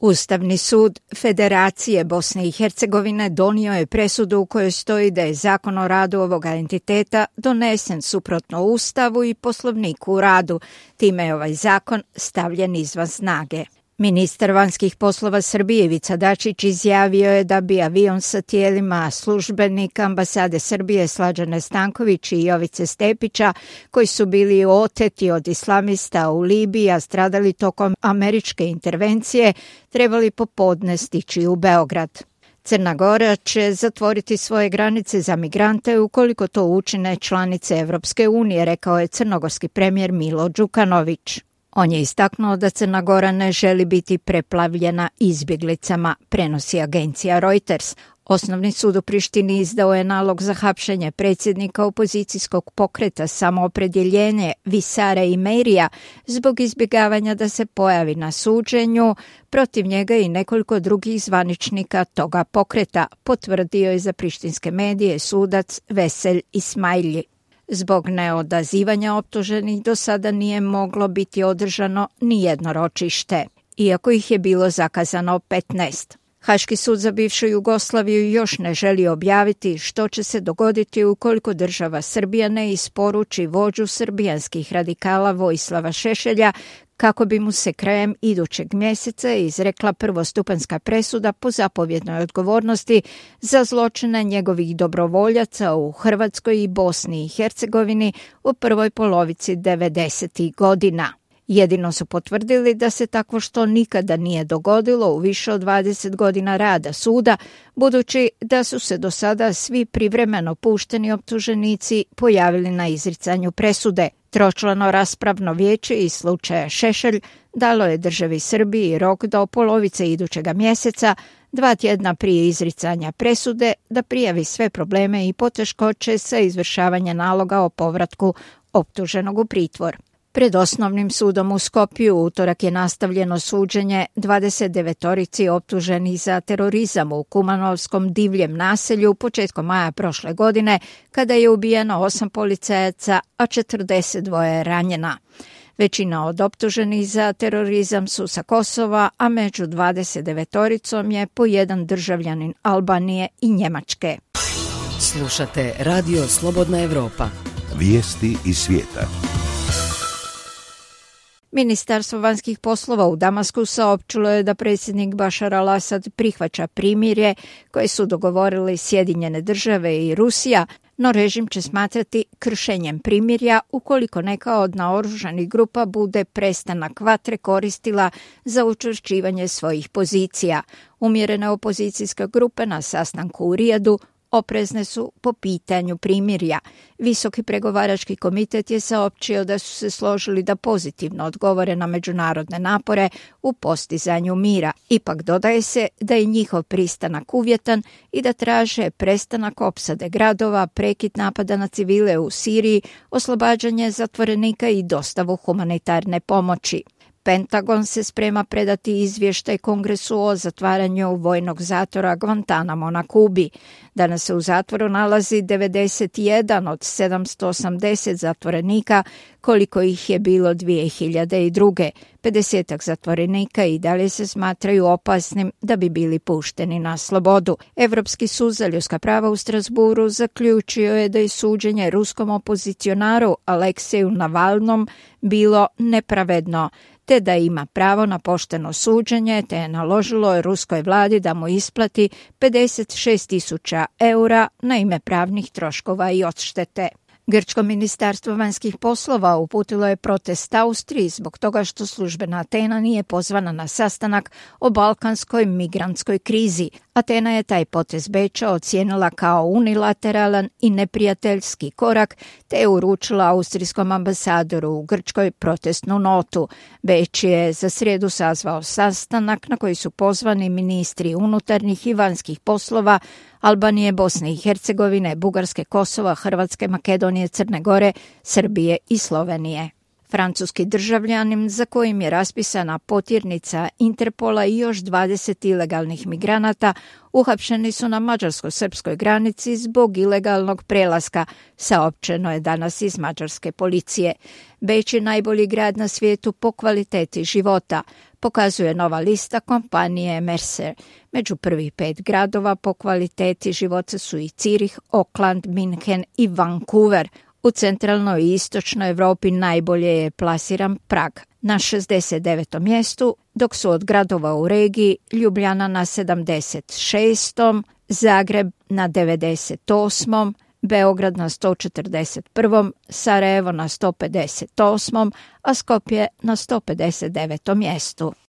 Ustavni sud Federacije Bosne i Hercegovine donio je presudu u kojoj stoji da je zakon o radu ovoga entiteta donesen suprotno Ustavu i Poslovniku o radu. Time je ovaj zakon stavljen izvan snage. Ministar vanjskih poslova Srbije Ivica Dačić izjavio je da bi avion sa tijelima službenika ambasade Srbije Slađane Stanković i Jovice Stepića, koji su bili oteti od islamista u Libiji, a stradali tokom američke intervencije, trebali popodne stići u Beograd. Crna Gora će zatvoriti svoje granice za migrante ukoliko to učine članice Evropske unije, rekao je crnogorski premijer Milo Đukanović. On je istaknuo da Crna Gora ne želi biti preplavljena izbjeglicama, prenosi agencija Reuters. Osnovni sud u Prištini izdao je nalog za hapšenje predsjednika opozicijskog pokreta Samoopredjeljenje Visara Imerija zbog izbjegavanja da se pojavi na suđenju. Protiv njega i nekoliko drugih zvaničnika toga pokreta, potvrdio je za prištinske medije sudac Veselj Ismailji. Zbog neodazivanja optuženih do sada nije moglo biti održano ni jedno ročište, iako ih je bilo zakazano 15. Haški sud za bivšu Jugoslaviju još ne želi objaviti što će se dogoditi ukoliko država Srbija ne isporuči vođu srbijanskih radikala Vojislava Šešelja, kako bi mu se krajem idućeg mjeseca izrekla prvostupanjska presuda po zapovjednoj odgovornosti za zločine njegovih dobrovoljaca u Hrvatskoj i Bosni i Hercegovini u prvoj polovici 90. godina. Jedino su potvrdili da se takvo što nikada nije dogodilo u više od 20 godina rada suda, budući da su se do sada svi privremeno pušteni optuženici pojavili na izricanju presude. Tročlano raspravno vijeće iz slučaja Šešelj dalo je državi Srbiji rok do polovice idućega mjeseca, 2 tjedna prije izricanja presude, da prijavi sve probleme i poteškoće sa izvršavanja naloga o povratku optuženog u pritvor. Pred osnovnim sudom u Skopju utorak je nastavljeno suđenje 29 optuženih za terorizam u Kumanovskom divljem naselju početkom maja prošle godine, kada je ubijeno 8 policajaca, a 42 je ranjena. Većina od optuženih za terorizam su sa Kosova, a među 29 je po jedan državljanin Albanije i Njemačke. Slušate Radio Slobodna Evropa. Vijesti iz svijeta. Ministarstvo vanjskih poslova u Damasku saopćilo je da predsjednik Bašar al-Asad prihvaća primirje koje su dogovorili Sjedinjene države i Rusija, no režim će smatrati kršenjem primirja ukoliko neka od naoružanih grupa bude prestanak vatre koristila za učvršćivanje svojih pozicija. Umjerene opozicijske grupe na sastanku u Rijadu oprezne su po pitanju primirja. Visoki pregovarački komitet je saopćio da su se složili da pozitivno odgovore na međunarodne napore u postizanju mira. Ipak dodaje se da je njihov pristanak uvjetan i da traže prestanak opsade gradova, prekid napada na civile u Siriji, oslobađanje zatvorenika i dostavu humanitarne pomoći. Pentagon se sprema predati izvještaj Kongresu o zatvaranju vojnog zatvora Guantanamo na Kubi. Danas se u zatvoru nalazi 91 od 780 zatvorenika, koliko ih je bilo 2002. 50 zatvorenika i dalje se smatraju opasnim da bi bili pušteni na slobodu. Evropski sud za ljudska prava u Strasburu zaključio je da je suđenje ruskom opozicionaru Alekseju Navalnom bilo nepravedno, te da ima pravo na pošteno suđenje, te je naložilo ruskoj vladi da mu isplati 56.000 eura na ime pravnih troškova i odštete. Grčko ministarstvo vanjskih poslova uputilo je protest Austriji zbog toga što službena Atena nije pozvana na sastanak o balkanskoj migrantskoj krizi. Atena je taj potez Beča ocijenila kao unilateralan i neprijateljski korak, te je uručila austrijskom ambasadoru u Grčkoj protestnu notu. Beč je za srijedu sazvao sastanak na koji su pozvani ministri unutarnjih i vanjskih poslova Albanije, Bosne i Hercegovine, Bugarske, Kosova, Hrvatske, Makedonije, Crne Gore, Srbije i Slovenije. Francuski državljanin za kojim je raspisana potjernica Interpola i još 20 ilegalnih migranata uhapšeni su na mađarsko-srpskoj granici zbog ilegalnog prelaska, saopćeno je danas iz mađarske policije. Beč je najbolji grad na svijetu po kvaliteti života. pokazuje nova lista kompanije Mercer. Među prvih 5 gradova po kvaliteti života su i Cirih, Auckland, Minhen i Vancouver. U centralnoj i istočnoj Europi najbolje je plasiran Prag na 69. mjestu, dok su od gradova u regiji Ljubljana na 76., Zagreb na 98., Beograd na 141., Sarajevo na 158., a Skopje na 159. mjestu.